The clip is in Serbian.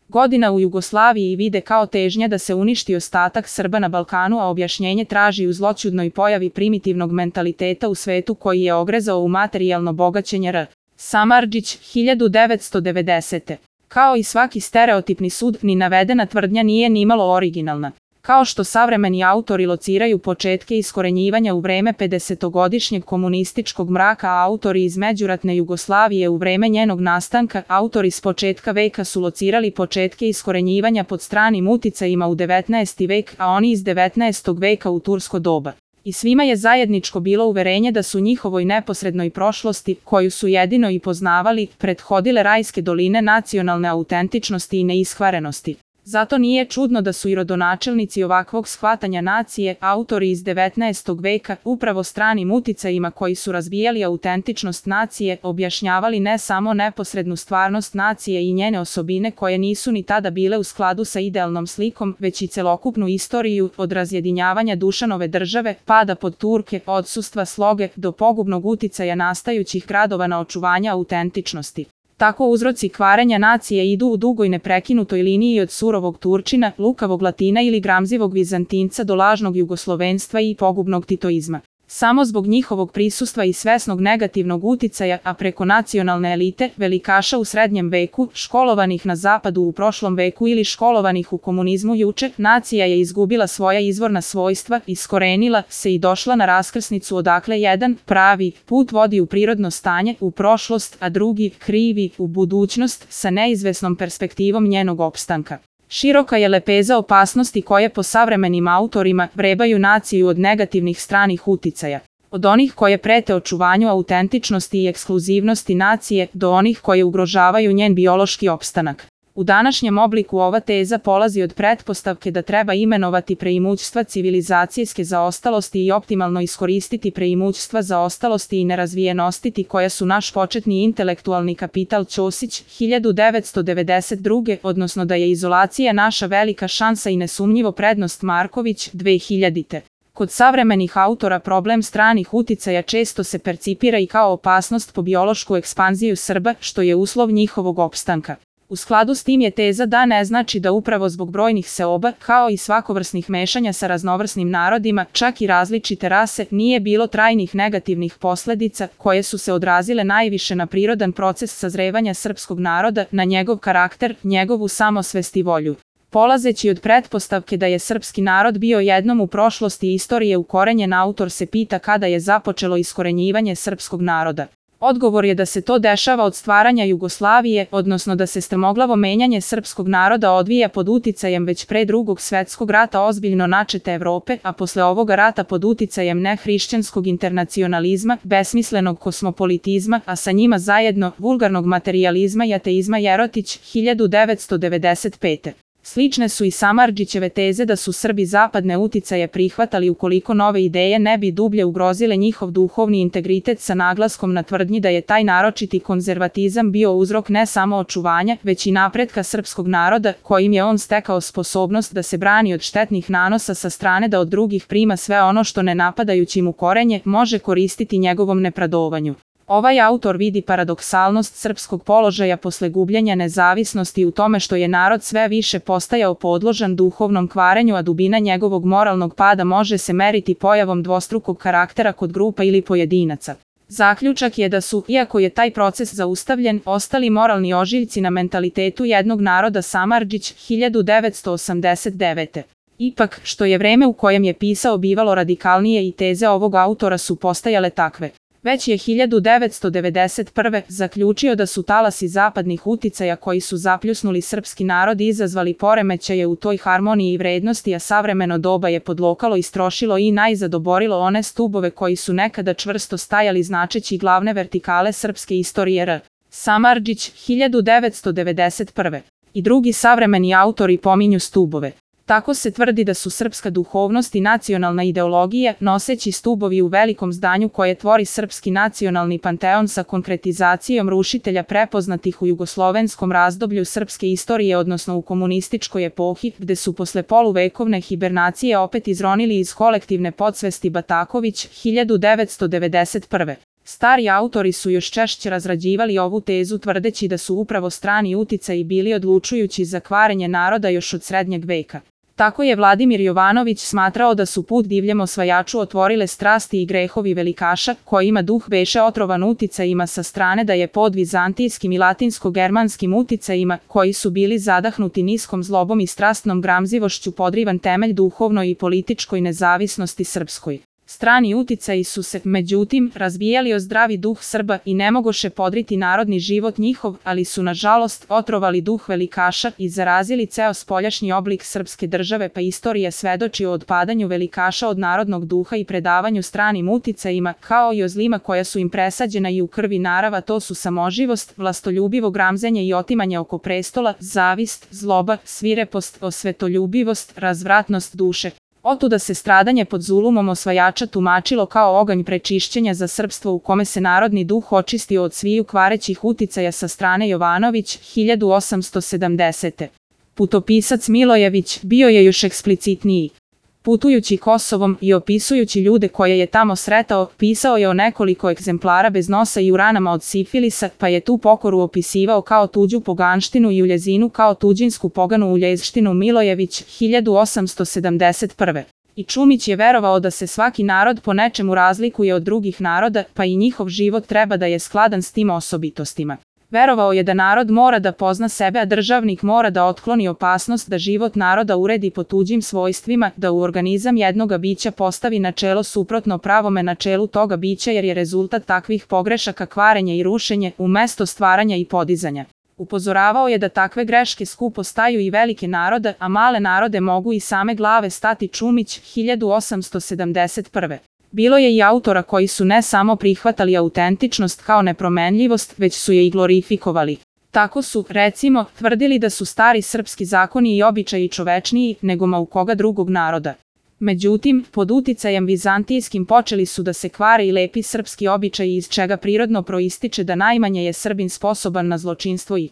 godina u Jugoslaviji vide kao težnja da se uništi ostatak Srba na Balkanu, a objašnjenje traži u zloćudnoj pojavi primitivnog mentaliteta u svetu koji je ogrezao u materijalno bogaćenje R. Samardžić, 1990. Kao i svaki stereotipni sud, ni navedena tvrdnja nije nimalo originalna. Kao što savremeni autori lociraju početke iskorenjivanja u vreme 50-godišnjeg komunističkog mraka, a autori iz međuratne Jugoslavije u vreme njenog nastanka, autori s početka veka su locirali početke iskorenjivanja pod stranim uticajima u 19. vek, a oni iz 19. veka u tursko doba. I svima je zajedničko bilo uverenje da su njihovoj neposrednoj prošlosti, koju su jedino i poznavali, prethodile rajske doline nacionalne autentičnosti i neiskvarenosti. Zato nije čudno da su i rodonačelnici ovakvog shvatanja nacije, autori iz 19. veka, upravo stranim uticajima koji su razbijali autentičnost nacije, objašnjavali ne samo neposrednu stvarnost nacije i njene osobine koje nisu ni tada bile u skladu sa idealnom slikom, već i celokupnu istoriju, od razjedinjavanja Dušanove države, pada pod Turke, odsustva sloge, do pogubnog uticaja nastajućih gradova na očuvanje autentičnosti. Tako uzroci kvarenja nacije idu u dugoj neprekinutoj liniji od surovog Turčina, lukavog Latina ili gramzivog Vizantinca do lažnog jugoslovenstva i pogubnog titoizma. Samo zbog njihovog prisustva i svesnog negativnog uticaja, a preko nacionalne elite, velikaša u srednjem veku, školovanih na zapadu u prošlom veku ili školovanih u komunizmu juče, nacija je izgubila svoja izvorna svojstva, iskorenila se i došla na raskrsnicu odakle jedan, pravi, put vodi u prirodno stanje, u prošlost, a drugi, krivi, u budućnost, sa neizvesnom perspektivom njenog opstanka. Široka je lepeza opasnosti koje po savremenim autorima vrebaju naciju od negativnih stranih uticaja. Od onih koje prete očuvanju autentičnosti i ekskluzivnosti nacije, do onih koje ugrožavaju njen biološki opstanak. U današnjem obliku ova teza polazi od pretpostavke da treba imenovati preimućstva civilizacijske zaostalosti i optimalno iskoristiti preimućstva zaostalosti i nerazvijenosti koja su naš početni intelektualni kapital Ćosić, 1992. odnosno da je izolacija naša velika šansa i nesumnjivo prednost Marković, 2000. Kod savremenih autora problem stranih uticaja često se percipira i kao opasnost po biološku ekspanziju Srba, što je uslov njihovog opstanka. U skladu s tim je teza da ne znači da upravo zbog brojnih seoba, kao i svakovrsnih mešanja sa raznovrsnim narodima, čak i različite rase, nije bilo trajnih negativnih posledica, koje su se odrazile najviše na prirodan proces sazrevanja srpskog naroda, na njegov karakter, njegovu samosvest i volju. Polazeći od pretpostavke da je srpski narod bio jednom u prošlosti istorije ukorenjen, autor se pita kada je započelo iskorenjivanje srpskog naroda. Odgovor je da se to dešava od stvaranja Jugoslavije, odnosno da se strmoglavo menjanje srpskog naroda odvija pod uticajem već pre Drugog svetskog rata ozbiljno načete Evrope, a posle ovoga rata pod uticajem nehrišćanskog internacionalizma, besmislenog kosmopolitizma, a sa njima zajedno vulgarnog materijalizma i ateizma. Jerotić, 1995. Slične su i Samardžićeve teze da su Srbi zapadne uticaje prihvatali ukoliko nove ideje ne bi dublje ugrozile njihov duhovni integritet, sa naglaskom na tvrdnji da je taj naročiti konzervatizam bio uzrok ne samo očuvanja, već i napretka srpskog naroda, kojim je on stekao sposobnost da se brani od štetnih nanosa sa strane, da od drugih prima sve ono što ne napadajući mu korenje može koristiti njegovom nepradovanju. Ovaj autor vidi paradoksalnost srpskog položaja posle gubljenja nezavisnosti u tome što je narod sve više postajao podložan duhovnom kvarenju, a dubina njegovog moralnog pada može se meriti pojavom dvostrukog karaktera kod grupa ili pojedinaca. Zaključak je da su, iako je taj proces zaustavljen, ostali moralni ožiljci na mentalitetu jednog naroda. Samardžić, 1989. Ipak, što je vreme u kojem je pisao bivalo radikalnije i teze ovog autora su postajale takve. Već je 1991. zaključio da su talasi zapadnih uticaja koji su zapljusnuli srpski narod i izazvali poremećaje u toj harmoniji i vrednosti, a savremeno doba je podlokalo, istrošilo i najzad oborilo one stubove koji su nekada čvrsto stajali značeći glavne vertikale srpske istorije. R. Samardžić, 1991. I drugi savremeni autori pominju stubove. Tako se tvrdi da su srpska duhovnost i nacionalna ideologija noseći stubovi u velikom zdanju koje tvori srpski nacionalni panteon sa konkretizacijom rušitelja prepoznatih u jugoslovenskom razdoblju srpske istorije, odnosno u komunističkoj epohi, gde su posle poluvekovne hibernacije opet izronili iz kolektivne podsvesti. Bataković, 1991. Stari autori su još češće razrađivali ovu tezu tvrdeći da su upravo strani uticaji bili odlučujući za kvarenje naroda još od srednjeg veka. Tako je Vladimir Jovanović smatrao da su put divljem osvajaču otvorile strasti i grehovi velikaša, kojima duh beše otrovan uticajima sa strane, da je pod vizantijskim i latinsko-germanskim uticajima, koji su bili zadahnuti niskom zlobom i strastnom gramzivošću, podrivan temelj duhovnoj i političkoj nezavisnosti srpskoj. Strani uticaji su se, međutim, razbijali o zdravi duh Srba i ne mogoše podriti narodni život njihov, ali su nažalost otrovali duh velikaša i zarazili ceo spoljašnji oblik srpske države, pa istorija svedoči o otpadanju velikaša od narodnog duha i predavanju stranim uticajima, kao i o zlima koja su im presađena i u krvi narava, to su samoživost, vlastoljubivo gramzenje i otimanje oko prestola, zavist, zloba, svirepost, osvetoljubivost, razvratnost duše. Otuda se stradanje pod zulumom osvajača tumačilo kao oganj prečišćenja za srpstvo u kome se narodni duh očistio od sviju kvarećih uticaja sa strane Jovanović, 1870. Putopisac Milojević bio je još eksplicitniji. Putujući Kosovom i opisujući ljude koje je tamo sretao, pisao je o nekoliko egzemplara bez nosa i u ranama od sifilisa, pa je tu pokoru opisivao kao tuđu poganštinu i uljezinu kao tuđinsku poganu uljezštinu. Milojević, 1871. I Čumić je verovao da se svaki narod po nečemu razlikuje od drugih naroda, pa i njihov život treba da je skladan s tim osobitostima. Verovao je da narod mora da pozna sebe, a državnik mora da otkloni opasnost da život naroda uredi po tuđim svojstvima, da u organizam jednoga bića postavi načelo suprotno pravome načelu toga bića, jer je rezultat takvih pogrešaka kvarenje i rušenje, umesto stvaranja i podizanja. Upozoravao je da takve greške skupo staju i velike narode, a male narode mogu i same glave stati. Čumić, 1871. Bilo je i autora koji su ne samo prihvatali autentičnost kao nepromenljivost, već su je i glorifikovali. Tako su, recimo, tvrdili da su stari srpski zakoni i običaji čovečniji nego ma u koga drugog naroda. Međutim, pod uticajem vizantijskim počeli su da se kvare i lepi srpski običaji, iz čega prirodno proističe da najmanje je Srbin sposoban na zločinstvo i